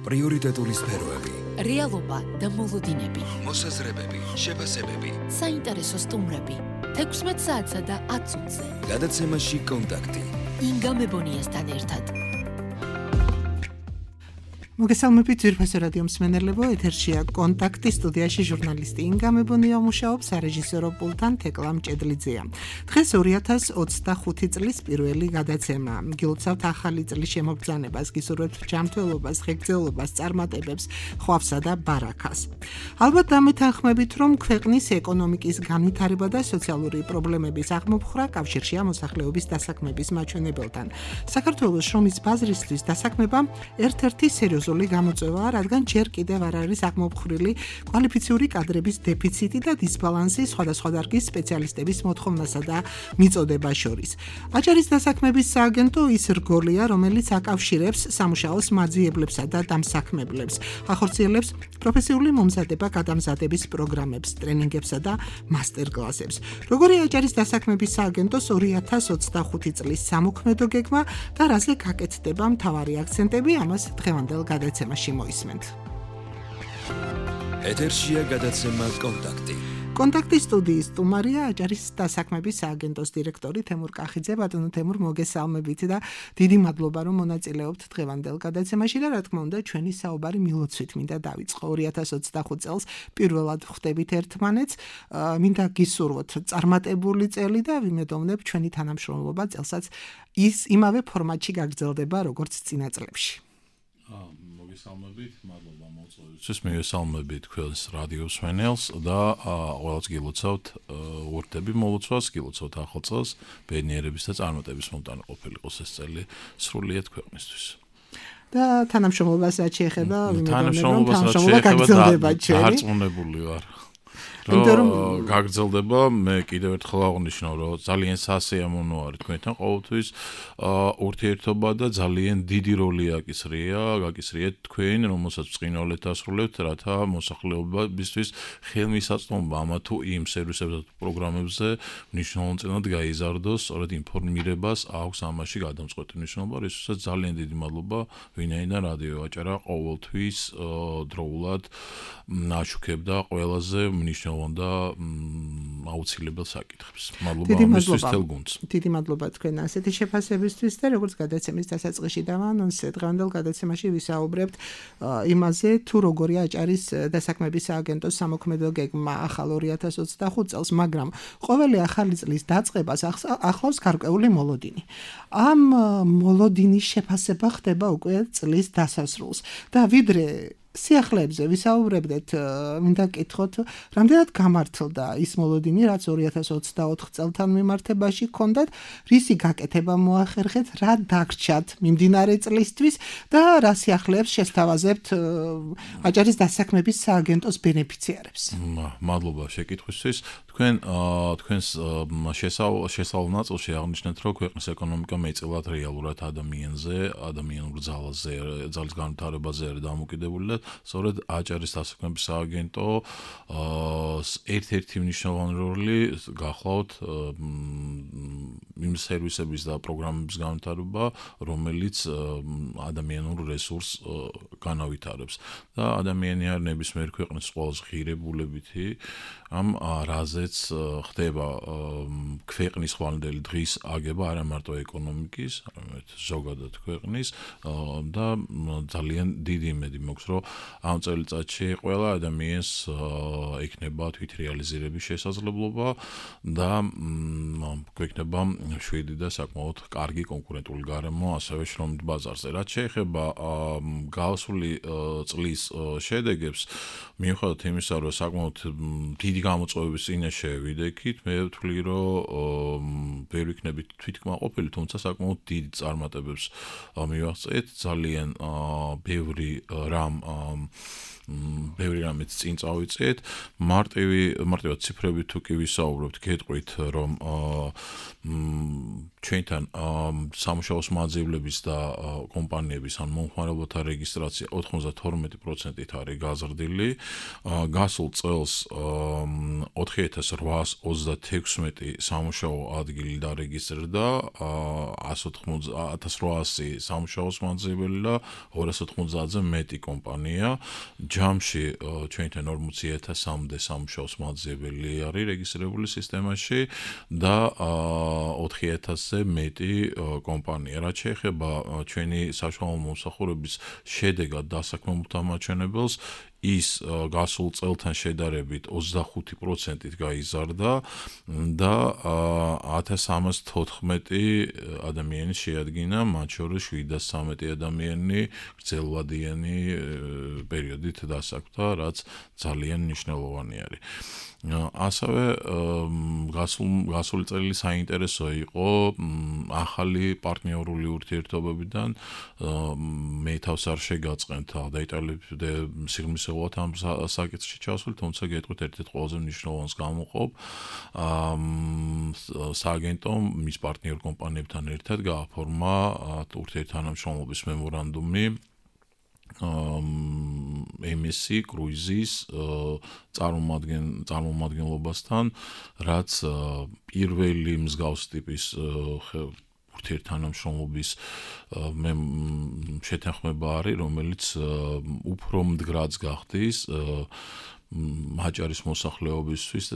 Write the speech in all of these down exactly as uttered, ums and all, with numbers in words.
პრიორიტეტული სფეროები, რეალობა და მოლოდინები, მოსაზრებები, შეფასებები, საინტერესო სტუმრები, თექვსმეტ საათსა და ათ წუთზე. გადაცემაში კონტაქტი. ინგა მებონიასთან ერთად. მოგესალმებით ძვირფასო რადიო მსმენელებო, ეთერშია კონტაქტი, სტუდიაში ჟურნალისტი ინგა მებონია მუშაობს, სარეჟისორო პულტთან თეკლა მჭედლიძეა. დღეს ორი ათას ოცდახუთი წლის პირველი გადაცემა. გილოცავთ ახალი წლის შემოგბრძანებას, გისურვებთ ჯანმრთელობას, ღირსეულობას, წარმატებებს, ხვავსა და ბარაქას. ალბათ დამეთანხმებით, რომ ქვეყნის ეკონომიკის განვითარება და სოციალური პრობლემების აღმოფხვრა კავშირშია მოსახლეობის დასაქმების მაჩვენებელთან. საქართველოს შრომის ბაზრისთვის დასაქმება ერთ-ერთი სერიოზული გამოწვევაა, რადგან ჯერ კიდევ არ არის აღმოფხვრილი კვალიფიციური კადრების დეფიციტი და დისბალანსი სხვადასხვა დარგის სპეციალისტების მოთხოვნასა და მიწოდებას შორის. აჭარის დასაქმების სააგენტო ის რგოლია, რომელიც აკავშირებს სამუშაოს მაძიებლებსა და დამსაქმებლებს, ახორციელებს პროფესიული მომზადება გადამზადების პროგრამებს, ტრენინგებსა და მასტერკლასებს. როგორია აჭარის დასაქმების სააგენტოს ორი ათას ოცდახუთი წლის სამოქმედო გეგმა და რაზე გაკეთდება მთავარი აქცენტები, ამას დღევანდელ გადაცემაში მოისმენთ. ეთერშია გადაცემა კონტაქტი. კონტაქტის სტუდიის სტუმარია აჭარის დასაქმების სააგენტოს დირექტორი თემურ კახიძე. ბატონო თემურ, მოგესალმებით და დიდი მადლობა, რომ მონაწილეობთ დღევანდელ გადაცემაში და რა თქმა უნდა, ჩვენი საუბარი მილოცვით მინდა დავიწყო. ორი ათას ოცდახუთი წელს პირველად ხვდებით ერთმანეთს, მინდა გისურვოთ წარმატებული წელი და ვიმედოვნებ ჩვენი თანამშრომლობა წელსაც ის იმავე ფორმატში გაგრძელდება, როგორც წინა წლებში. მოგესალმებით, მადლობა მოწვევისთვის, მივესალმებით თქვენს რადიო მსმენელს და ყველას გილოცავთ ვურდები მოლოცვას, გილოცავთ ახალ წელს, ბედნიერების და წარმატების მომტანი ყოფილიყოს ეს წელი სრულიად ქვეყნისთვის. და თანამშრომლობას რაც შეეხება, თანამშრომლობას რაც შეეხება, დარწმუნებული ვარ. რომ გაგრძელდება, მე კიდევ ერთხელ აღნიშნავ, რომ ძალიან სასიამოვნო არის თქვენთან ყოველთვის ურთიერთობა და ძალიან დიდი როლი აკისრია, გაკისრიეთ თქვენ, რომელსაც ბრწყინვალედ ასრულებთ, რათა მოსახლეობისთვის ხელმისაწვდომობა ამა თუ იმ სერვისებზე და პროგრამებზე მნიშვნელოვნად გაიზარდოს, სწორედ ინფორმირებას აქვს ამაში გადამწყვეტი მნიშვნელობა, რისთვისაც ძალიან დიდი მადლობა ვინაიდან რადიო აჭარა ყოველთვის დროულად აშუქებდა ყველაზე მნიშვნელოვან და აუცილებელ საკითხებს. მადლობა ამისთვის თელ გუნდს. დიდი მადლობა თქვენ ასეთი შეფასებისთვის და როგორც გადაცემის დასაწყისში დავანონსე, დღევანდელ გადაცემაში ვისაუბრებთ იმაზე, თუ როგორია აჭარის დასაქმების სააგენტოს სამოქმედო გეგმა ახალ ორი ათას ოცდახუთი წელს, მაგრამ ყოველი ახალი წლის დაწყებას ახლავს გარკვეული მოლოდინი. ამ მოლოდინის შეფასება ხდება უკვე წლის დასასრულს და ვიდრე სიახლეებზე ვისაუბრებდეთ, მინდა გკითხოთ, რამდენად გამართლდა ის მოლოდინი, რაც ორი ათას ოცდაოთხ წელთან მიმართებაში ჰქონდათ, რისი გაკეთება მოახერხეთ, რა დაგრჩათ მიმდინარე წლისთვის და რა სიახლეებს შესთავაზებთ აჭარის დასაქმების სააგენტოს ბენეფიციარებს. მადლობა შეკითხვისთვის. თქვენ თქვენს შესავალ ნაწილში აღნიშნეთ, რომ ქვეყნის ეკონომიკა მეტწილად რეალურად ადამიანზე, ადამიანურ ძალაზე, ძალის განვითარებაზე არის დამოკიდებული და სწორედ აჭარის დასაქმების სააგენტო ერთ-ერთი მნიშვნელოვანი როლი გახლავთ იმ სერვისების და პროგრამების განვითარება, რომელიც ადამიანურ რესურსს განავითარებს. და ადამიანი არის ნებისმიერ ქვეყნის ყველაზე ღირებულებითი ამ რაზეც ხდება ქვეყნის ხვალინდელი დღის აგება არა მარტო ეკონომიკის, არამედ ზოგადად ქვეყნის და ძალიან დიდი იმედი მაქვს, რომ ამ წელიწადში ყველა ადამიანს ექნება თვითრეალიზირების შესაძლებლობა და გვექნება შვიდი და საკმაოდ კარგი კონკურენტული გარემო ასევე შრომით ბაზარზე. რაც შეეხება გასული წლის შედეგებს, მიუხედავად იმისა, რომ საკმაოდ დიდი გამოწვევების წინაშე ვიდექით, მე ვთვლი, რომ ვერ ვიქნებით თვითკმაყოფილი, თუმცა საკმაოდ დიდ წარმატებებს მივაღწევთ, ძალიან ბევრი რამ ბევრი რამეც წინ წავიწეთ. მარტივი მარტივად ციფრებით თუ კი ვისაუბრებთ, გეტყვით, რომ ჩვენთან სამუშაოს მაძიებლების და კომპანიების ან მომხმარებელთა რეგისტრაცია ოთხმოცდათორმეტი პროცენტით არის გაზრდილი. გასულ წელს ოთხი ათას რვაას ოცდათექვსმეტი სამუშაო ადგილი დარეგისტრირდა, ათას რვაასი სამუშაოს მაძიებელი და ორას ოთხმოცდაათზე მეტი კომპანია. ჯამში ჩვენთან ორმოცი ათასამდე სამუშაოს მაძიებელი არის რეგისტრირებული სისტემაში და ოთხი ათასზე მეტი კომპანია. რაც შეეხება ჩვენი საშუალო მომსახურების შედეგად დასაქმებულთა მაჩვენებელს, ის გასულ წელთან შედარებით ოცდახუთი პროცენტით გაიზარდა და ათას სამას თოთხმეტი ადამიანი შეადგინა, მათ შორის შვიდას ცხრამეტი ადამიანი გრძელვადიანი პერიოდით დასაქმდა, რაც ძალიან მნიშვნელოვანი არის. ასევე გასული წელი საინტერესო იყო ახალი პარტნიორული ურთიერთობებიდან. მე თავს არ შეგაწყენთ დაიტალებდე სიღრმისეულად ამ საკითხში ჩავსვლით, თუმცა გეტყვით ერთ-ერთ ყველაზე მნიშვნელოვანს გამოვყობ. სააგენტომ მის პარტნიორ კომპანიებთან ერთად გააფორმა ურთიერთთანამშრომლობის მემორანდუმი ემ ეს ი კრუიზის წარმომადგენლობასთან, რაც პირველი მსგავს ტიპის ურთიერთთანამშრომლობის შეთანხმება არის, რომელიც უფრო მდგრადს გახდის აჭარის მოსახლეობისთვის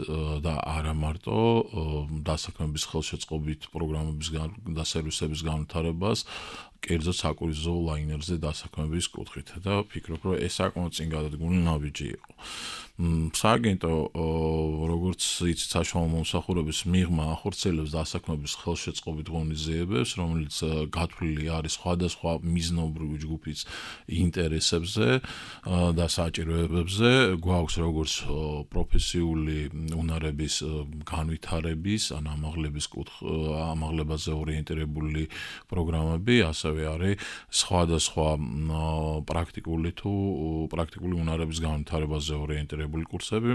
და არა მარტო დასაქმების ხელშეწყობით პროგრამების და სერვისების განვითარებას, კერძოდ საკურიზო ლაინერზე დასაქმების კუთხით და ვფიქრობ, რომ ეს საკმაოდ წინ გადადგმული ნაბიჯი იყო. სააგენტო, როგორც იცით, საშუალო მომსახურების მიღმა ახორციელებს დასაქმების ხელშეწყობით ღონისძიებებს, რომელიც გათვლილი არის სხვადასხვა მიზნობრივი ჯგუფის ინტერესებზე და საჭიროებებზე. გვაქვს როგორც პროფესიული უნარების განვითარების, ან ამაღლების ამაღლებაზე ორიენტირებული პროგრამები, ასევე არის სხვადასხვა პრაქტიკული თუ პრაქტიკული უნარების განვითარებაზე ორიენტირებული კურსები.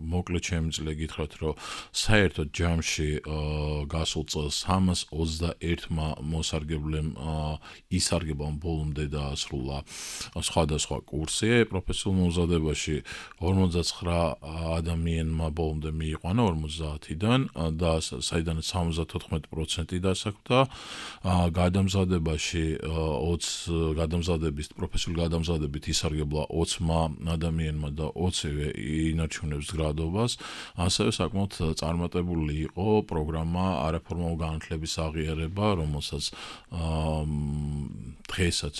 მოკლედ შემიძლია გითხრათ, რომ საერთოდ ჯამში გასულ წელს სამას ოცდაერთმა მოსარგებლემ ისარგებლა ბოლომდე დაასრულა სხვადასხვა კურსი. პროფესიულ მომზადებაში ორმოცდაცხრა ადამიანმა ბოლომდე მიიყვანა ორმოცდაათიდან და საიდანაც სამოცდათოთხმეტი პროცენტი დასაქმდა. გადამზადებაში ოცი გადამზადების პროფესიული გადამზადებით ისარგებლა ოცმა ადამიანმა და ოცივე ინარჩუნებს გრადობას. ასევე საკმაოდ წარმატებული იყო პროგრამა არაფორმალ განათლების აღიარება, რომელსაც დღესაც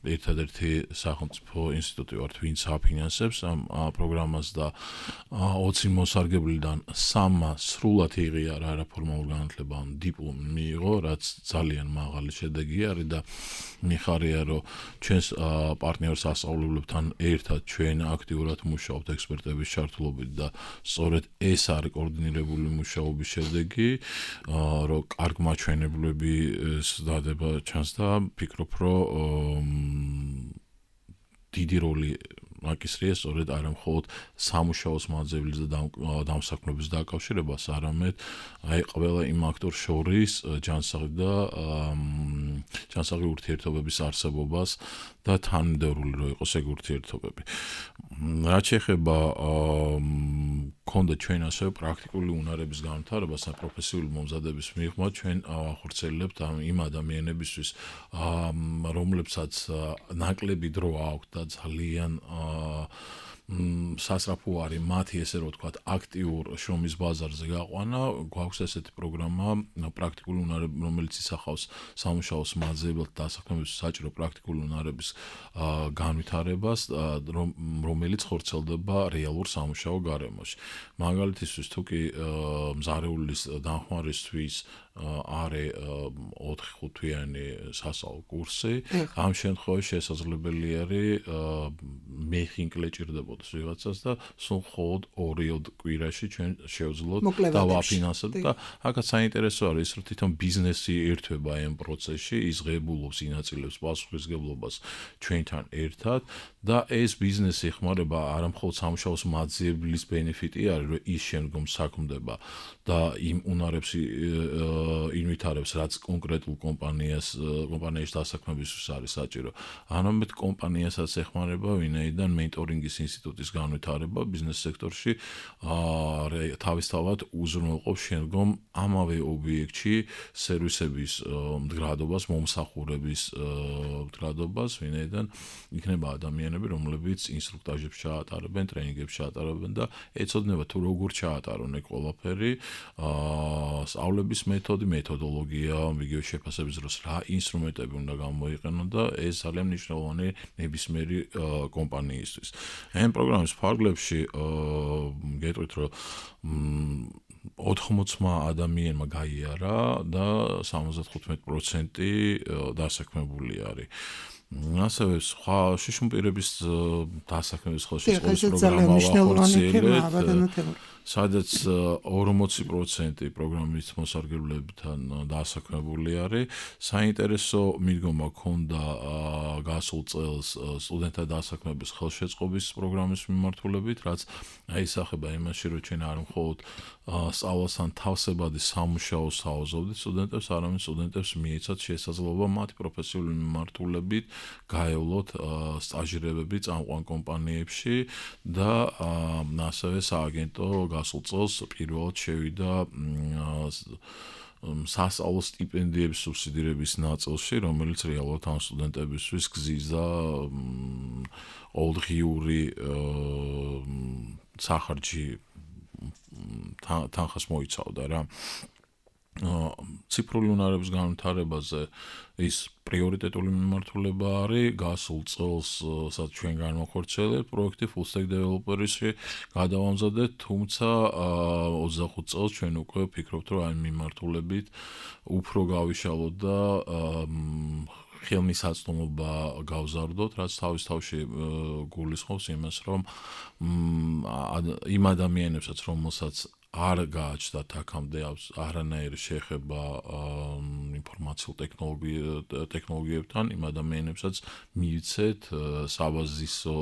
ერთადერთი სახელმწიფო ინსტიტუტი ვართ, ვინც აფინანსებს ამ პროგრამას და ოცი მოსარგებლიდან სამმა სრულად იღია არაფორმალურ განათლება, დიპლომი მიიღო, რაც ძალიან მაღალი შედეგი არის და მიხარია, რომ ჩვენს პარტნიორ სასწავლებლებთან ერთად ჩვენ აქტიურად მუშაობთ ექსპერტების ჩართულობით და სწორედ ეს არის კოორდინირებული მუშაობის შედეგი, რომ კარგ მაჩვენებლები დადება ჩანს და ვფიქრობ, რომ დიდი როლი აკისრია სწორედ არა მხოლოდ სამუშაოს მაძებლის და დამსაქმების დაკავშირებას, არამედ აი ყველა იმ აქტორ შორის ჯანსაღი და ჯანსაღი ურთიერთობების არსებობას და თანმიმდევრული რო იყოს ეგ ურთიერთობები. რაც შეეხება ქონდა ჩვენ ასევე პრაქტიკული უნარების განვითარებას და პროფესიული მომზადების მიღმა, ჩვენ ახორციელებთ იმ ადამიანებისთვის, რომლებსაც ნაკლები დრო აქვთ და ძალიან სასწრაფო არის მათი, ესე რომ ვთქვათ, აქტიურ შრომის ბაზარზე გაყვანა. გვაქვს ესეთი პროგრამა პრაქტიკული უნარები, რომელიც ისახავს სამუშაოს მაძიებელთა დასაქმების საჭირო პრაქტიკული უნარების განვითარებას, რომელიც ხორციელდება რეალურ სამუშაო გარემოში. მაგალითისთვის, თუ კი მზარეულის დახმარისთვის არის ოთხი ხუთვიანი სასწავლო კურსი, ამ შემთხვევაში შესაძლებელი არის მეხინკლე ჭირდებოდეს ვიღაცას და სულ მხოლოდ ორი კვირაში ჩვენ შევძლოთ და ვაფინანსებთ და აქაც საინტერესო არის ის, რომ თვითონ ბიზნესი ერთვება ამ პროცესში, ის ღებულობს, ინაწილებს პასუხისმგებლობას ჩვენთან ერთად და ეს ბიზნესი ეხმარება არა მხოლოდ სამუშაოს მაძიებლის ბენეფიტი არის, რომ ის შემდგომ საქმდება და იმ უნარებს ინვითარებს, რაც კონკრეტულ კომპანიას კომპანიის დასაქმებისთვის არის საჭირო. არამედ კომპანიასაც ეხმარება, ვინაიდან მენტორინგის ინსტიტუტის განვითარება ბიზნეს სექტორში თავისთავად უზრუნველყოფს შემდგომ ამავე ობიექტში სერვისების მდგრადობას, მომსახურების მდგრადობას, ვინაიდან იქნება ადამიანები, რომლებიც ინსტრუქტაჟებს ჩაატარებენ, ტრენინგებს ჩაატარებენ და ეცოდინება თუ როგორ ჩაატარონ ეგ ყველაფერი, სწავლების მეთოდი, მეთოდოლოგია, იგივე შეფასების დროს რა ინსტრუმენტები უნდა გამოიყენონ და ეს ძალიან მნიშვნელოვანი ნებისმიერი კომპანიისთვის. ამ პროგრამის ფარგლებში გეტყვით, რომ ოთხმოცმა ადამიანმა გაიარა და სამოცდათხუთმეტი პროცენტი დასაქმებული არის. ასევე სხვა შიშუმპირების დასაქმების ხელშეწყობის პროგრამა ვახორციელებთ, სადაც ორმოცი პროცენტი პროგრამის მოსარგებლებთან დასაქმებული არის. საინტერესო მიდგომა ჰქონდა გასულ წელს სტუდენტთა დასაქმების ხელშეწყობის პროგრამის მიმართულებით, რაც აისახება იმაში, რომ ჩვენ არ მხოლოდ სწავლასთან თავსებადი სამუშაოს თავაზობთ სტუდენტებს, არამედ სტუდენტებს მიეცათ შესაძლებლობა მათი პროფესიული მიმართულებით გაევლოთ სტაჟირებები წამყვან კომპანიებში და ასევე სააგენტო გასულ წელს პირველად შევიდა სასწავლო სტიპენდიების სუბსიდირების ნაწილში, რომელიც რეალურად ამ სტუდენტებისთვის გზიზდა ყოველდღიური სახარჯი თანხას მოიცავდა რა. ციფრული უნარების განვითარებაზე ის პრიორიტეტული მიმართულება არის. გასულ წელს სადაც ჩვენ განვახორციელებთ პროექტი full stack developer-ში გადავამზადეთ, თუმცა ოცდახუთ წელს ჩვენ უკვე ვფიქრობთ, რომ ამ მიმართულებით უფრო გავიშალოთ და ხელმისაწვდომობა გავზარდოთ, რაც თავის თავში გულისხმობს იმას, რომ იმ ადამიანებსაც, რომელსაც არ გააჩნდათ აქამდე არანაირი შეხება ინფორმაციულ ტექნოლოგიებთან, იმ ადამიანებსაც მივიცეთ საბაზისო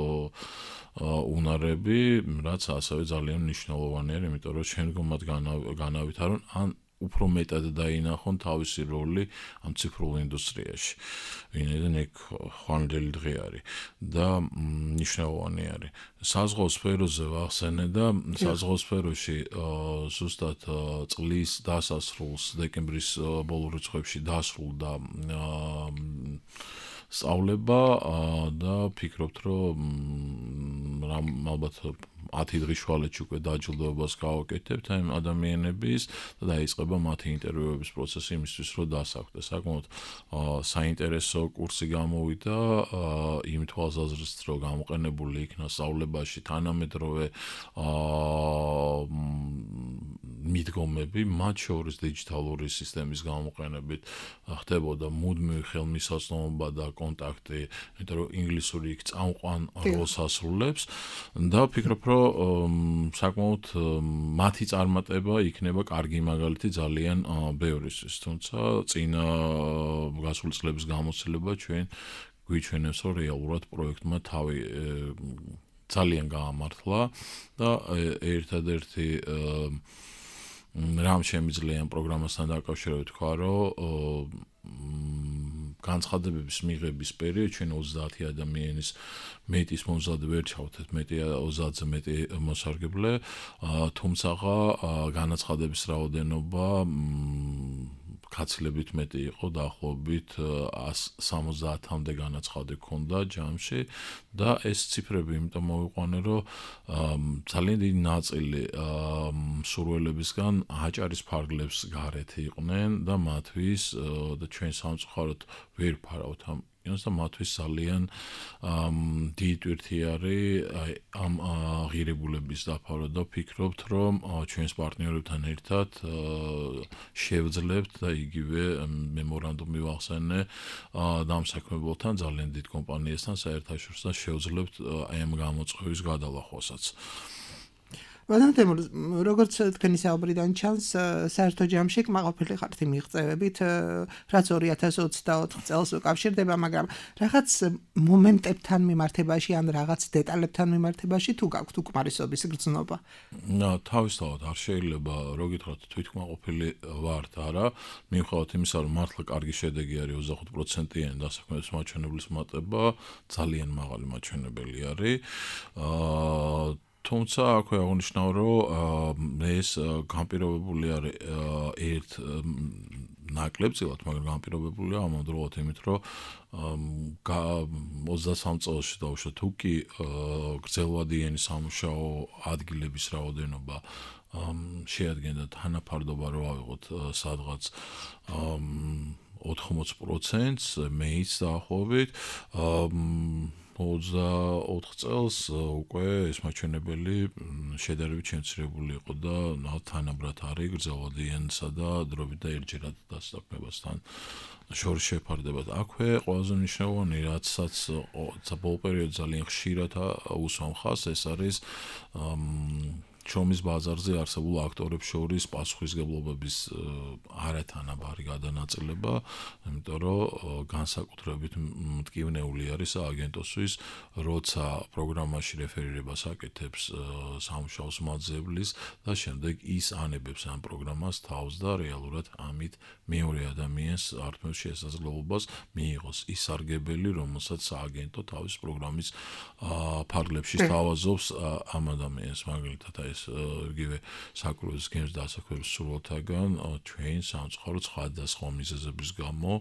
უნარები, რაც ასევე ძალიან მნიშვნელოვანია, იმიტომ რომ შემდგომ მათ განავითარონ ან უფრო მეტად დაინახონ თავისი როლი ამ ციფრულ ინდუსტრიაში. ვინაიდან ეგ ხვალინდელი დღე არის და მნიშვნელოვანი არის. საზღვაო სფეროზე ვახსენე და საზღვაო სფეროში ზუსტად წლის დასასრულს დეკემბრის ბოლო რიცხვებში დასრულდა სწავლება და ფიქრობთ, რომ ალბათ ათი დღის შუალედში უკვე დაჯილდოებას გავაკეთებთ ამ ადამიანების და დაიწყება მათი ინტერვიუების პროცესი იმისთვის, რომ დასახვდეს. საკმაოდ საინტერესო კურსი გამოვიდა იმ თვალსაზრისით, რომ გამოყენებული იქნა სწავლებაში თანამედროვე მიდგომები, მათ შორის დიჯიტალური სისტემის გამოყენებით ხდებოდა მუდმივი ხელმისაწვდომობა და კონტაქტი, იმიტომ რომ ინგლისური იქ წამყვან როლს ასრულებს და ვფიქრობ, რომ საკმაოდ მათი წარმატება იქნება კარგი მაგალითი ძალიან ბევრისთვის, თუმცა წინა გასული წლების გამოცდილება ჩვენ გვიჩვენებს, რომ რეალურად პროექტმა თავი ძალიან გაამართლა და ერთადერთი რამ შემიძლია ამ პროგრამასთან დაკავშირებით თქვა, რომ განცხადებების მიღების პერიოდში ჩვენ ოცდაათი ადამიანის მეტის მომზადე ვერ ჩავთეთ, მეტი ოცდაათზე მეტი მოსარგებლე, თუმცა განაცხადების რაოდენობა კაცლებით მეტი იყო, დაახლოებით ას სამოცდაათამდე განაცხადი ქონდა ჯამში და ეს ციფრები იმიტომ მოვიყვანე, რომ ძალიან დიდი ნაწილი მსურველებისგან აჭარის ფარგლებს გარეთ იყვნენ და მათთვის და ჩვენ სამწუხაროდ ვერ ფარავთ ამ და მათთვის ძალიან დიდი ტვირთი არის ამ ღირებულების დაფარვა და ვფიქრობთ, რომ ჩვენს პარტნიორებთან ერთად შევძლებთ და იგივე მემორანდუმი ვახსენე დამსაქმებელთან, ძალიან დიდ კომპანიასთან საერთაშორისო შევძლებთ აი ამ გამოწვევის გადალახვასაც. ბატონო თემურ, როგორც თქვენი საუბრიდან ჩანს, საერთო ჯამში კმაყოფილი ხართ იმ მიღწევებით, რაც ორი ათას ოცდაოთხ წელს უკავშირდება, მაგრამ რაღაც მომენტებთან მიმართებაში ან რაღაც დეტალებთან მიმართებაში თუ გაქვთ უკმარისობის გრძნობა? თავისთავად არ შეიძლება რო გითხრათ თვითკმაყოფილი ვართ, არა, მიუხედავად იმისა, რომ მართლა კარგი შედეგი არის ოცდახუთ პროცენტიანი დასაქმების მაჩვენებლის მატება, ძალიან მაღალი მაჩვენებელი არის. აა თუმცა აქვე აღნიშნავ, რომ ეს განპირობებული არის ერთ ნაკლებწილად, მაგრამ განპირობებულია ამავდროულად იმით, რომ ოცდასამ წელში დავუშვათ თუ კი გრძელვადიანი სამუშაო ადგილების რაოდენობა შეადგენდა თანაფარდობა რო ავიღოთ სადღაც ოთხმოც პროცენტს, მეც დაახლოებით ოცდაოთხ წელს უკვე ეს მაჩვენებელი შედარებით შემცირებული იყო და თანაბრად არის გრძელვადიანსა და დროებით და ერთჯერად დასაქმებასთან შორის შეფარდება. აქვე ყველაზე მნიშვნელოვანი, რაცაც ბოლო პერიოდში ძალიან ხშირად უსვამ ხაზს, ეს არის შრომის ბაზარზე არსებულ აქტორებს შორის პასუხისმგებლობების არათანაბარი გადანაწილება, იმიტომ რომ განსაკუთრებით მტკივნეული არის აგენტოსთვის, როცა პროგრამაში რეფერირებას აკეთებს სამუშაოს მაძებლის და შემდეგ ის ანებებს ამ პროგრამას თავს და რეალურად ამით მეორე ადამიანს ართმევს შესაძლებლობას მიიღოს ის სარგებელი, რომელსაც სააგენტო თავის პროგრამის ფარგლებში სთავაზობს ამ ადამიანს, მაგალითად ეს იგივე საკუთრების გემს დასაქმების სურვილთაგან ჩვენ სამწუხაროდ სხვადასხვა მიზეზების გამო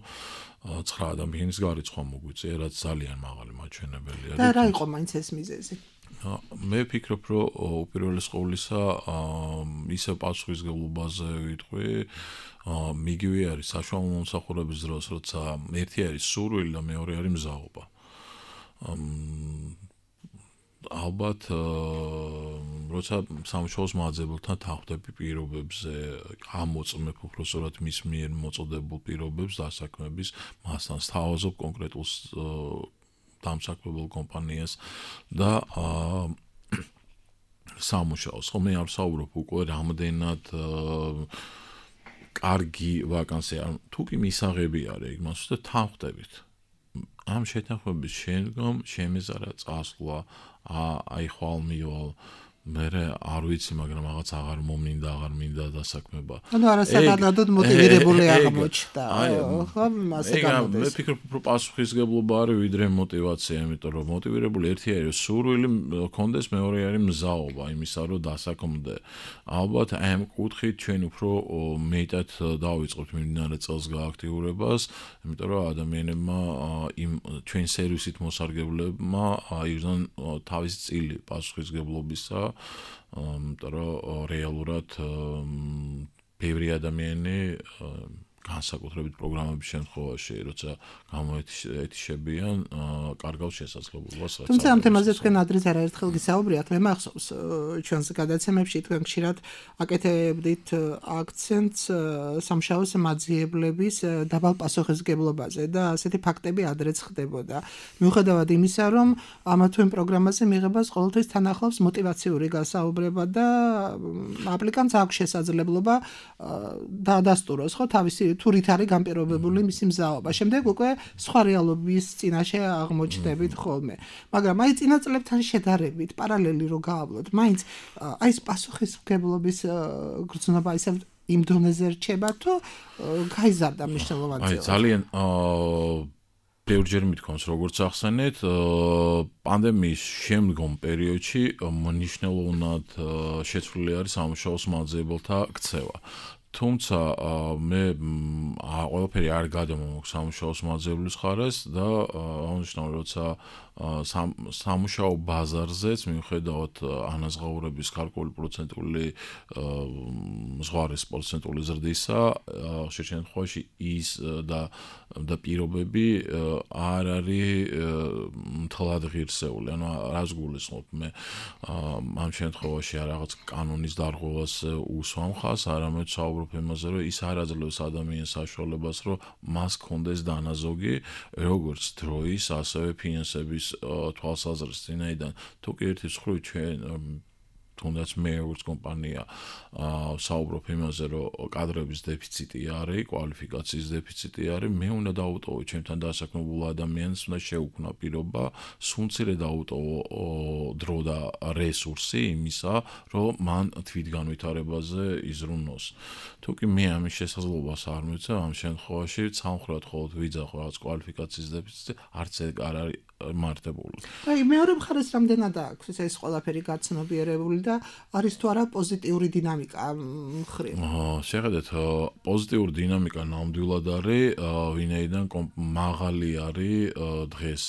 ცხრა ადამიანის გარიცხვა მოგვიწია, რაც ძალიან მაღალი მაჩვენებელი არის. და რა იყო მაინც ეს მიზეზი? მე ვფიქრობ, რომ უპირველეს ყოვლისა ისევ პასუხისმგებლობაზე ვიტყვი, მიგივე არის საშუალო მომსახურების დროს, როცა ერთი არის სურვილი და მეორე არის მზაობა. ალბათ როცა სამუშაოს მაძებელთან თანხმდები პირობებზე გამოწმებ უბრალოდ მის მიერ მოწოდებულ პირობებს დასაქმების, მასთან სთავაზობ კონკრეტულ დამსაქმებელ კომპანიას და სამუშაოს. ხოლმე არ ვსაუბრობ უკვე რამდენად კარგი ვაკანსია, თუ კი მისაღები არის, იმას უბრალოდ თანხმდებით. ამ შეთანხმების შემდგომ შემეზარა წასვლა, აი ხვალ მივალ, მე არ ვიცი, მაგრამ რაღაც აღარ მომინდა, აღარ მინდა დასაქმება. ანუ არასაკმაოდ მოტივირებული აღმოჩნდა. ხო, მასე გამოდის. მე ვფიქრობ, რომ პასუხისმგებლობა არის ვიდრე მოტივაცია, იმიტომ რომ მოტივირებული ერთი არის სურვილი კონდეს, მეორე არის მზაობა იმისა, რომ დასაქმდე. ალბათ ამ კუთხით ჩვენ უფრო მეტად დავიწყებთ მიმდინარე წელს გააქტიურებას, იმიტომ რომ ადამიანებმა იმ ჩვენ სერვისით მოსარგებლებმა აიღონ თავის წილი პასუხისმგებლობისა, იმიტომ რომ რეალურად ბევრი ადამიანი განსაკუთრებით პროგრამების შემთხვევაში, როცა გამოეთიშებიან, კარგავს შესაძლებლობას. თუმცა ამ თემაზე თქვენ ადრეც არაერთხელ გისაუბრიათ, მე მახსოვს ჩვენს გადაცემებში თქვენ ხშირად აკეთებდით აქცენტს სამუშაოს მაძიებლების დაბალ პასუხისმგებლობაზე და ასეთი ფაქტები ადრეც ხდებოდა. მიუხედავად იმისა, რომ ამა თუ იმ პროგრამაზე მიღებას ყოველთვის თან ახლავს მოტივაციური გასაუბრება და აპლიკანტს აქვს შესაძლებლობა დაადასტუროს ხო თავისი თუ რით არის განპირობებული მისი მზაობა. შემდეგ უკვე სხვა რეალობის წინაშე აღმოჩნდებით ხოლმე. მაგრამ აი წინა წლებთან შედარებით პარალელი რო გაავლოთ, მაინც აი ეს პასუხისმგებლობის გრძნობა ისევ იმ დონეზე რჩება თუ გაიზარდა მნიშვნელოვანად? აი ძალიან ბევრჯერ მithქვამს, როგორც ახსენეთ, პანდემიის შემდგომ პერიოდში მნიშვნელოვნად შეცვლილი არის სამუშაოს მაძიებელთა ქცევა. თუმცა მე ყველაფერი არ გადამომოქვს სამუშაოს მაძიებლის ხარეს და აღნიშნავ, როცა სამუშაო ბაზარზეც მიუხედავად ანაზღაურების ქართული პროცენტული ზღვარის პროცენტული ზრდისა, ხშირ შემთხვევაში ის და და პირობები არ არის მთლად ღირსეული. ანუ რას გულისხმობ მე ამ შემთხვევაში რაღაც კანონის დარღვევას უსვამ ხაზს, არამედ საუბრობ იმაზე, რომ ის არ აძლევს ადამიანს საშუალებას, რომ მას კონდეს დანაზოგი, როგორც დროის, ასევე ფინანსების თვალსაზრისით. თუ კი ერთის მხრივ ჩვენ თუნდაც მე როგორც კომპანია საუბრობ იმაზე, რომ კადრების დეფიციტი არის, კვალიფიკაციის დეფიციტი არის, მე უნდა დავუტოვო ჩემთან დასაქმებულ ადამიანს, უნდა შეუქმნა პირობა, სუნცირე დავუტოვო დრო და რესურსი იმისა, რომ მან თვითგანვითარებაზე იზრუნოს. თუ კი მე ამის შესაძლებლობას არ მივცემ, ამ შემთხვევაში სამხრეთ ხოლოდ ვიძახო რაღაც კვალიფიკაციის დეფიციტი, არც ეგ არ არის მართებული. აი მეორე მხარეს რამდენად აქვს ეს ყველაფერი გაცნობიერებული და არის თუ არა პოზიტიური დინამიკა მხრივ? შეხედეთ, პოზიტიური დინამიკა ნამდვილად არის, ვინაიდან მაღალი არის დღეს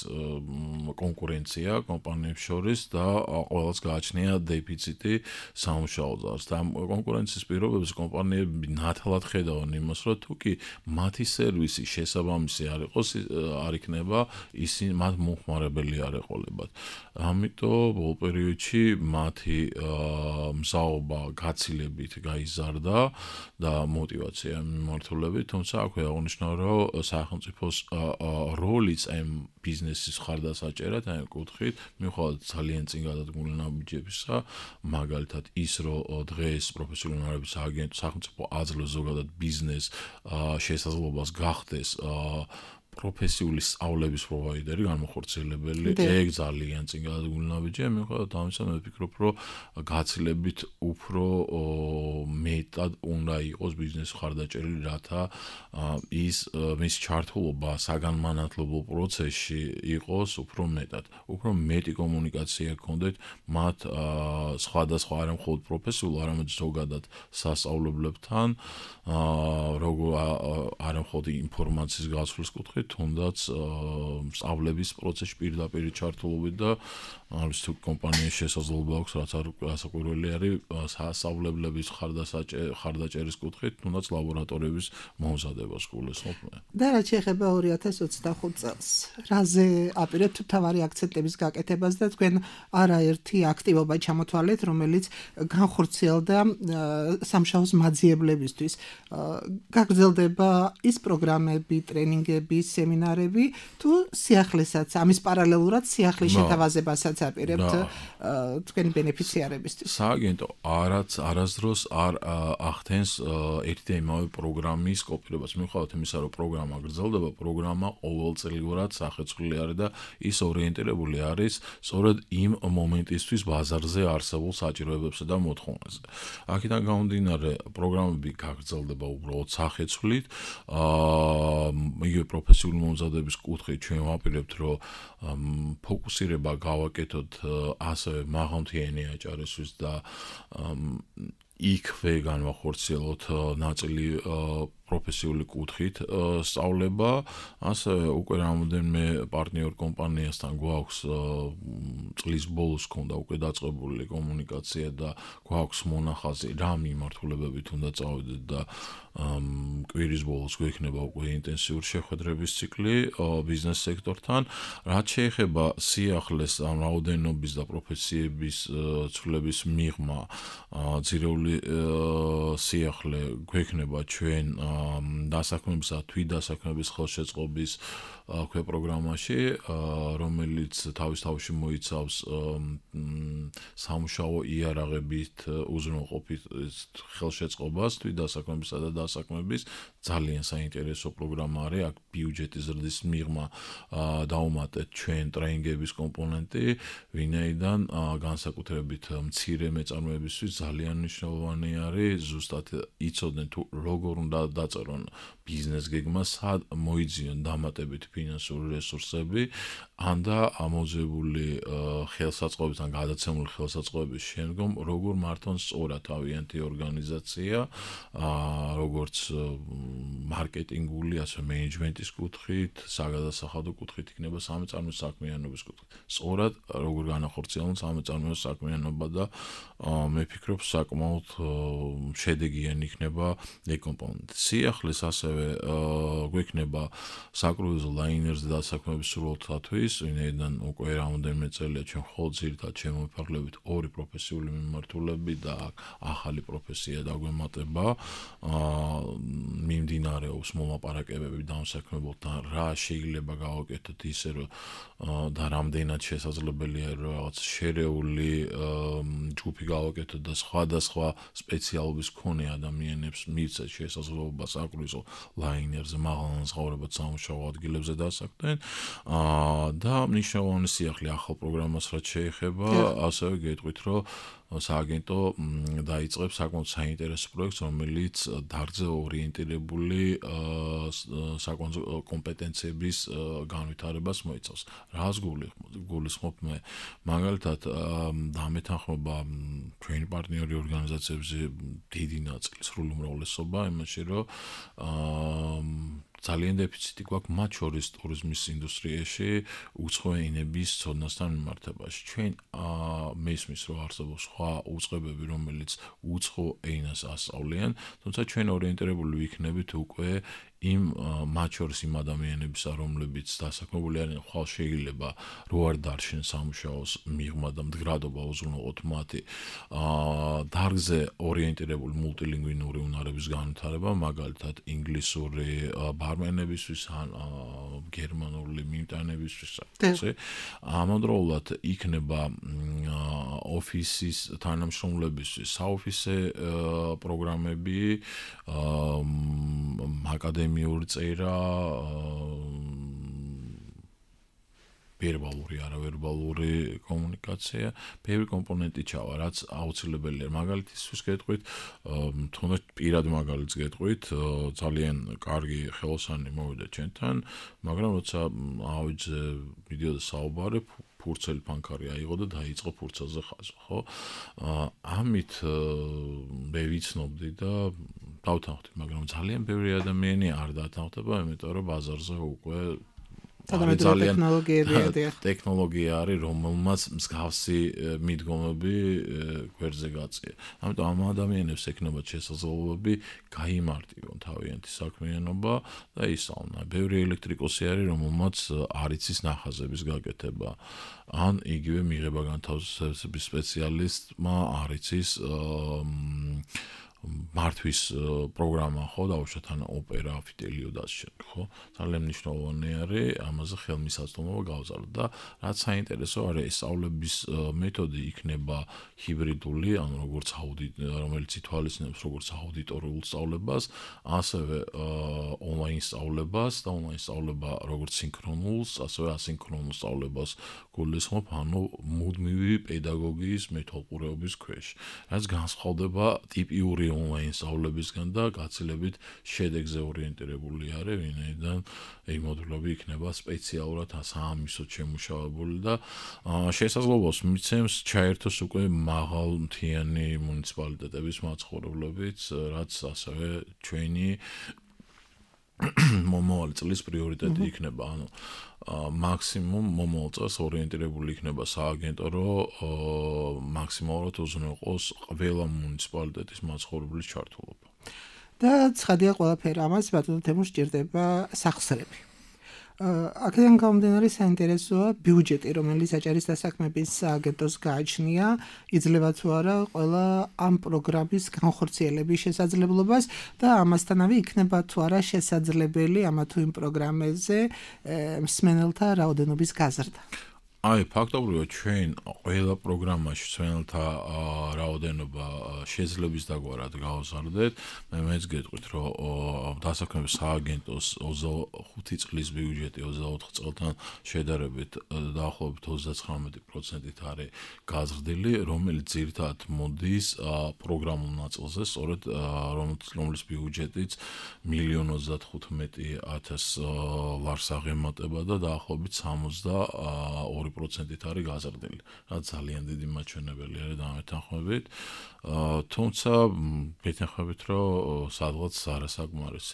კონკურენცია კომპანიებს შორის და ყველას გააჩნია დეფიციტი სამუშაო ძალს. და კონკურენციის პირობებში კომპანიები ნათლად ხედავენ იმას, რომ თუ კი მათი სერვისი შესაბამისი არ იყოს, არ იქნება ისინი მათ ხმარებელი არ ეყოლებათ. ამიტომ ბოლო პერიოდში მათი მზაობა გაცილებით გაიზარდა და мотиваცია მიმართულებით, თუმცა აქვე აღნიშნავ, რომ სახელმწიფოს როლიც ამ ბიზნესის ხარდასაჭერად, ამ კუთხით, მიუხედავად ძალიან წინ გადადგმული ნაბიჯებისა, მაგალითად ის, რომ დღეს პროფესიონალური უნარების აგენტ სახელმწიფო აძლევს ზოგადად ბიზნეს შესაძლებლობას გახდეს პროფესიული სწავლების პროვაიდერი, განმახორციელებელი, ეგ ძალიან წინ გადადგმული ნაბიჯია, მიუხედავად ამისა, მე ვფიქრობ, რომ გაცილებით უფრო მეტად უნდა იყოს ბიზნეს ხარდაჭერილი, რათა ის მის ჩართულობა საგანმანათლებლო პროცესში იყოს უფრო მეტად, უფრო მეტი კომუნიკაცია გქონდეთ მათ სხვადასხვა არა მხოლოდ პროფესიულ, არამედ ზოგადად სასწავლებლებთან, როგორ არა მხოლოდ ინფორმაციის გაცვლის კუთხით, თუნდაც სწავლების პროცესში პირდაპირ ჩართულობით და არის თუ კომპანიის შესაძლებლობა აქვს, რაც არ გასაკვირველი არის სასწავლებლების ხარდაჭერის კუთხით, თუნდაც ლაბორატორიების მომზადებას გულისხმობ მე. და რაც შეეხება ორი ათას ოცდახუთ წელს, რაზე აპირებთ თავარი აქცენტების გაკეთებას და თქვენ არაერთი აქტივობა ჩამოთვალეთ, რომელიც განხორციელდა სამშაოს მაძიებლებისთვის. გაგრძელდება ის პროგრამები, ტრენინგები, სემინარები, თუ სიახლესაც, ამის პარალელურად სიახლის შეთავაზებასაც აპირებთ თქვენი ბენეფიციარებისთვის? სააგენტო არაც არასდროს არ ახდენს ერთი და იმავე პროგრამის კოპირებას. მიუხედავად იმისა, რომ პროგრამა გრძელდება, პროგრამა ყოველწლიურად სახეცვლილი არის და ის ორიენტირებული არის სწორედ იმ მომენტისთვის ბაზარზე არსებულ საჭიროებებსა და მოთხოვნებზე. აქედან გამომდინარე, პროგრამები გაგრძელდება უბრალოდ სახეცვლით. იგივე პროფესიული მომზადების კუთხით ჩვენ ვაპირებთ, რომ ფოკუსირება გავაკეთოთ ასევე მაღალმთიანი აჭარისთვის და იქვე განვახორციელოთ ნაწილი პროფესიული კუთხით სწავლება, ასევე უკვე რამოდენიმე პარტნიორ კომპანიასთან გვაქვს წლის ბოლოს ქონდა უკვე დაწყებული კომუნიკაცია და გვაქვს მონახაზი რა მიმართულებებით უნდა წავიდეთ და კვირის ბოლოს გვექნება უკვე ინტენსიური შეხვედრების ციკლი ბიზნეს სექტორთან. რაც შეეხება სიახლეს ამ რაოდენობის და პროფესიების ცვლილების მიღმა, ძირეული სიახლე გვექნება ჩვენ დასაქმებისა, თვითდასაქმების ხელშეწყობის ქვე პროგრამაში, რომელიც თავის თავში მოიცავს სამუშაო იარაღებით უზრუნველყოფით ხელშეწყობას, თვითდასაქმებისა და დასაქმების ძალიან საინტერესო პროგრამა არის. აქ ბიუჯეტის ზრდის მიღმა დავუმატეთ ჩვენ ტრენინგების კომპონენტი, ვინაიდან განსაკუთრებით მცირე მეწარმეებისთვის ძალიან მნიშვნელოვანი არის ზუსტად იცოდნენ თუ როგორ უნდა დაწერონ ბიზნეს გეგმა, სად მოიძიონ დამატებით ფინანსური რესურსები, ან და ამოძებული ხელსაწყოების ან გადაცემული ხელსაწყოების შემდგომ როგორ მართონ სწორად თავიანთი ორგანიზაცია, როგორც მარკეტინგული, ასე მენეჯმენტის კუთხით, საგადასახადო კუთხით იქნება სამეწარმეო საქმიანობის კუთხით. სწორად როგორ განახორციელონ სამეწარმეო საქმიანობა და მე ვფიქრობ საკმაოდ შედეგიანი იქნება ეგ კომპონენტი. სიახლეს ასევე გვექნება საკრუიზო და ლაინერზე დასაქმების სრულთათვის, ვინაიდან უკვე რამდენიმე წელია ჩვენ მხოლოდ ძირითადად შემოვიფარგლებით ორი პროფესიული მიმართულები და ახალი პროფესია დაგვემატება. მიმდინარეობს მოლაპარაკებები დამსაქმებელთან, რა შეიძლება გავაკეთოთ ისე, რომ და რამდენად შესაძლებელია რომ რაღაც შერეული ჯგუფი გავაკეთოთ და სხვადასხვა სპეციალობის მქონე ადამიანებს მივცეთ შესაძლებლობა საკრუიზო ლაინერზე მაღალანაზღაურებად სამუშაო ადგილებზე დასაქმდნენ და მნიშვნელოვანი სიახლე ახალ პროგრამას რაც შეეხება, ასევე გეტყვით, რომ სააგენტო დაიწყებს საკმაოდ საინტერესო პროექტს, რომელიც დარგზე ორიენტირებული საკონსულტო კომპეტენციების განვითარებას მოიცავს. რას გულისხმობ მე? მაგალითად, დამეთანხმება ჩვენი პარტნიორი ორგანიზაციებზე დიდი ნაწილი სრული უმრავლესობა იმაში, რომ ძალიან დეფიციტი გვაქვს მათ შორის ტურიზმის ინდუსტრიაში უცხო ენების ცოდნასთან მიმართებაში. ჩვენ მესმის რომ არსებობს სხვა უწყებები, რომელიც უცხო ენას ასწავლიან, თუმცა ჩვენ ორიენტირებული ვიქნებით უკვე იმ მათ შორის იმ ადამიანების, რომლებიც დასაქმებული არიან, ხვალ შეიძლება რო არ დარჩენ სამუშაოს მიღმა და მდგრადობა უზრუნველყოთ მათი დარგზე ორიენტირებული მულტილინგვინური უნარების განვითარება, მაგალითად ინგლისური ბარმენებისთვის ან გერმანული მიმტანებისთვის. ამავდროულად იქნება ოფისის თანამშრომლებისთვის საოფისე პროგრამები, აკადემიური წერა, ვერბალური, არავერბალური კომუნიკაცია, ბევრი კომპონენტი ჩავა, რაც აუცილებელია. მაგალითისთვის გეტყვით, თუნდაც პირად მაგალითს გეტყვით, ძალიან კარგი ხელოსანი მოვიდა ჩვენთან, მაგრამ როცა ავიძე მიდიოდა საუბარი, ფურცელი ფანქარი აიღო და დაიწყო ფურცელზე ხაზვა, ხო? ამით მე ვიცნობდი და დავთანხმდი, მაგრამ ძალიან ბევრი ადამიანი არ დათანხმდება, იმიტომ რომ ბაზარზე უკვე ძალიან ტექნოლოგიებია. ტექნოლოგია არის, რომელმაც მსგავსი მიდგომები გვერდზე გაწია. ამიტომ ამ ადამიანებს ექნებათ შესაძლებლობები გაიმარტივონ თავიანთი საქმიანობა და ისწავლონ. ბევრი ელექტრიკოსი არის, რომელმაც არ იცის ნახაზების გაკეთება. ან იგივე მიღება განთავსების სპეციალისტმა არ იცის მართვის პროგრამა, ხო, დაუშვათ ან ოპერა, ფიტელიო და ასე შემდეგ, ხო? ძალიან მნიშვნელოვანი არის ამაზე ხელმისაწვდომობა გავზარდოთ და რაც საინტერესო არის, ესწავლების მეთოდი იქნება ჰიბრიდული, ანუ როგორც აუდიტ, რომელიც ითვალისწინებს როგორც აუდიტორიულ სწავლებას, ასევე ონლაინ სწავლებას და ონლაინ სწავლება როგორც სინქრონულს, ასევე ასინქრონულ სწავლებას გულისხმობ, ანუ მუდმივი პედაგოგიის მეთვალყურეობის ქვეშ. რაც განსხვავდება ტიპიური ონლაინ სწავლებისგან და გაცილებით შედეგზე ორიენტირებული არის, ვინაიდან ეგ მოდულები იქნება სპეციალურად საამისოდ შემუშავებული და შესაძლებლობას მიცემს ჩაერთოს უკვე მაღალმთიანი მუნიციპალიტეტების მაცხოვრებლებიც, რაც ასევე ჩვენი მომავალი წლის პრიორიტეტი იქნება, ანუ მაქსიმუმ მომავალ წელს ორიენტირებული იქნება სააგენტო, რომ მაქსიმალურად უზრუნველყოს ყველა მუნიციპალიტეტის მაცხოვრებლის ჩართულობა. და ცხადია ყველაფერი ამას ბატონო თემურ სჭირდება სახსრები. აქედან გამომდინარე საინტერესოა ბიუჯეტი, რომელიც აჭარის დასაქმების სააგენტოს გააჩნია, იძლევა თუ არა ყველა ამ პროგრამის განხორციელების შესაძლებლობას და ამასთანავე იქნება თუ არა შესაძლებელი ამა თუ იმ პროგრამებზე მსმენელთა რაოდენობის გაზრდა. აი, ფაქტობრივად ჩვენ ყველა პროგრამაში მსმენელთა რაოდენობა შეძლების დაგვარად გავაზარდეთ. მე მეც გეტყვით, რომ დასაქმების სააგენტოს ოცდახუთი წლის ბიუჯეტი ოცდაოთხ წელთან შედარებით დაახლოებით ოცდაცხრამეტი პროცენტით არის გაზრდილი, რომელიც ძირითადად მოდის პროგრამულ ნაწილზე, სწორედ რომლის ბიუჯეტიც მილიონი ოცდათხუთმეტი ათას ლარს აღემატება და დაახლოებით სამოცდაორი პროცენტით არის გაზრდილი. რაც ძალიან დიდი მაჩვენებელი არის დამეთანხმებით. თუმცა მეთანხმებით, რომ სადღაც არასაკმარისი.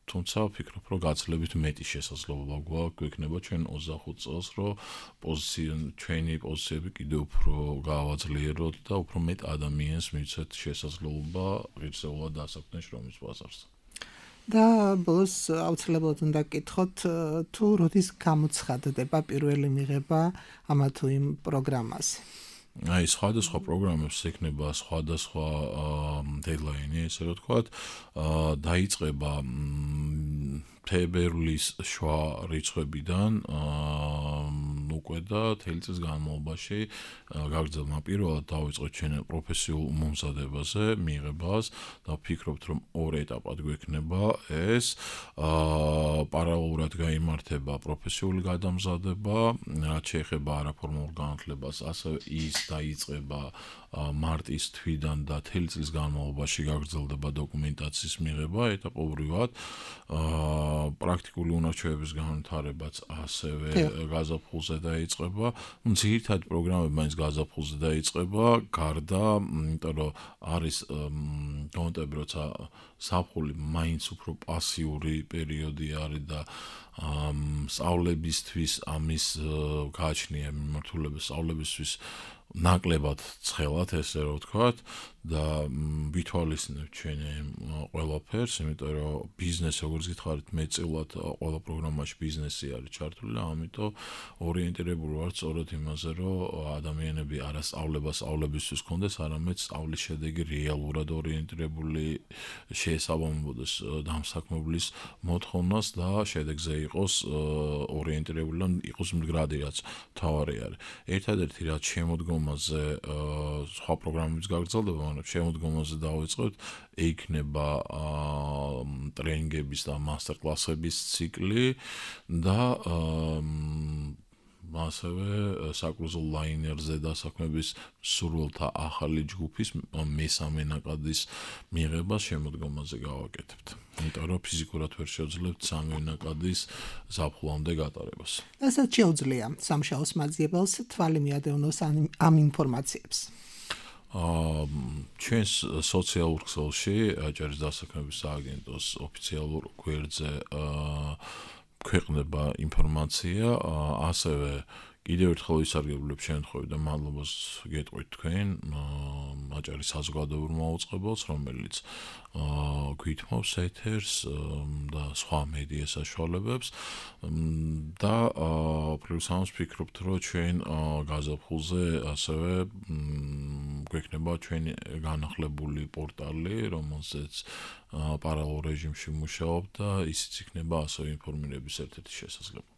თუმცა ვფიქრობ, რომ გაცილებით მეტი შესაძლებლობა გვაქვს, გვექნება ჩვენ ოცდახუთ წელს, რომ პოზიცია ჩვენი პოზიციები კიდევ უფრო გავაძლიეროთ და უფრო მეტ ადამიანს მივცეთ შესაძლებლობა ღირსეულად დასაქმდნენ შრომის ბაზარზე. და ბოლოს აუცილებლად უნდა გკითხოთ თუ როდის გამოცხადდება პირველი მიღება ამა თუ იმ პროგრამაზე. აი სხვადასხვა პროგრამებს ექნება სხვადასხვა დედლაინი, ესე რომ ვთქვათ, დაიწყება თებერვლის შუა რიცხვებიდან უკვე და თელი წლის განმავლობაში გაგრძელდა. პირველად დავიწყოთ ჩვენ პროფესიულ მომზადებაზე მიღებას და ვფიქრობთ, რომ ორ ეტაპად გვექნება ეს. პარალელურად გაიმართება პროფესიული გადამზადება, რაც შეეხება არაფორმალურ განათლებას, ასევე ის დაიწყება მარტის თვიდან და თელი წლის განმავლობაში გაგრძელდება დოკუმენტაციის მიღება ეტაპობრივად. პრაქტიკული უნარჩვევების განვითარებაც ასევე გაზაფხულზე დაიწყება. ძირითადი პროგრამები მაინც გაზაფხულზე დაიწყება, გარდა, იმიტომ რომ არის გამოტები, როცა ზაფხული მაინც უფრო პასიური პერიოდი არის და სწავლებისთვის ამის გააჩნია მიმართულება სწავლებისთვის ნაკლებად ცხელად, ესე რომ ვთქვათ, და ვითვალისწინებთ ჩვენ ყველაფერს, იმიტომ რომ ბიზნესი, როგორც გითხარით, მეტწილად ყველა პროგრამაში ბიზნესი არის ჩართული და ამიტომ ორიენტირებული ვართ სწორედ იმაზე, რომ ადამიანები არა სწავლება სწავლებისთვის კონდეს, არამედ სწავლის შედეგი რეალურად ორიენტირებული შეესაბამებოდეს დამსაქმებლის მოთხოვნას და შედეგზე იყოს ორიენტირებული და იყოს მდგრადი, რაც მთავარი არის. ერთადერთი რაც შემოდგომაზე სხვა პროგრამების გაგრძელდება, მაგრამ შემოდგომაზე დავიწყოთ, იქნება ტრენინგების და მასტერკლასების ციკლი და ასევე საკრუზო ლაინერზე დასაქმების სურვილთა ახალი ჯგუფის მესამე ნაკადის მიღებას შემოდგომაზე გავაკეთებთ. იმიტომ რომ ფიზიკურად ვერ შევძლებთ სამი ნაკადის ზაფხულამდე გატარებას. რასაც შეუძლია სამშაოს მაძიებელს თვალი მიადევნოს ამ ინფორმაციებს. ჩვენს სოციალურ ქსელში აჭარის დასაქმების სააგენტოს ოფიციალურ გვერდზე ქვეყნდება ინფორმაცია, ასევე კიდევ ერთხელ ვისარგებლებ შემთხვევით და მადლობას გეტყვით თქვენ აჭარის საზოგადოებრივ მაუწყებელს, რომელიც გვითმობს ეთერს და სხვა მედია საშუალებებს და პრინციპს ამას ვფიქრობთ, რომ ჩვენ გაზაფხულზე ასევე გვექნება ჩვენი განახლებული პორტალი, რომელზეც პარალელურ რეჟიმში მუშაობ და ისიც იქნება ასევე ინფორმირების ერთ-ერთი შესაძლებლობა.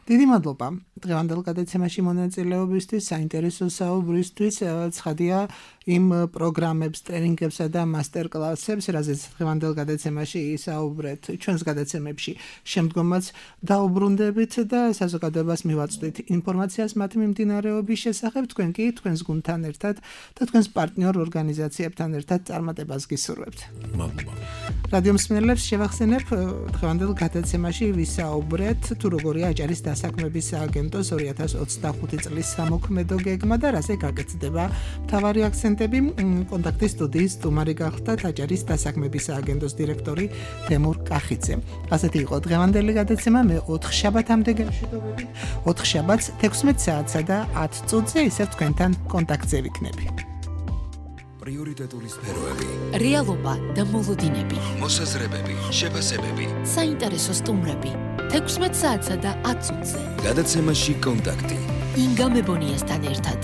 დიდი მადლობა დღევანდელ გადაცემაში მონაწილეობისთვის, საინტერესო საუბრისთვის. ცხადია იმ პროგრამებს, ტრენინგებსა და მასტერკლასებს, რაზეც დღევანდელ გადაცემაში ისაუბრეთ, ჩვენს გადაცემებში შემდგომაც დაუბრუნდებით და საზოგადოებას მივაწვდით ინფორმაციას მათი მიმდინარეობის შესახებ. თქვენ კი თქვენს გუნდთან ერთად და თქვენს პარტნიორ ორგანიზაციებთან ერთად წარმატებას გისურვებთ. მადლობა. რადიო მსმენელებს შევახსენებ, დღევანდელ გადაცემაში ვისაუბრეთ თუ როგორია აჭარის დასაქმების სააგენტოს ორი ათას ოცდახუთი წლის სამოქმედო გეგმა და რაზე გაგრძდება მთავარი აქცენტები. კონტაქტის სტუდიის სტუმარი გახლდათ აჭარის დასაქმების სააგენტოს დირექტორი თემურ კახიძე. ასეთი იყო დღევანდელი გადაცემა. მე ოთხ შაბათამდე გემშვიდობებით. ოთხ შაბათს თექვსმეტ საათსა და ათ წუთზე ისევ თქვენთან კონტაქტზე ვიქნები. პრიორიტეტული სფეროები, რეალობა და მოლოდინები, მოსაზრებები, შეფასებები, საინტერესო სტუმრები. თექვსმეტ საათსა და ათ წუთზე. გადაცემაში კონტაქტი. ინგა მებონიასთან ერთად.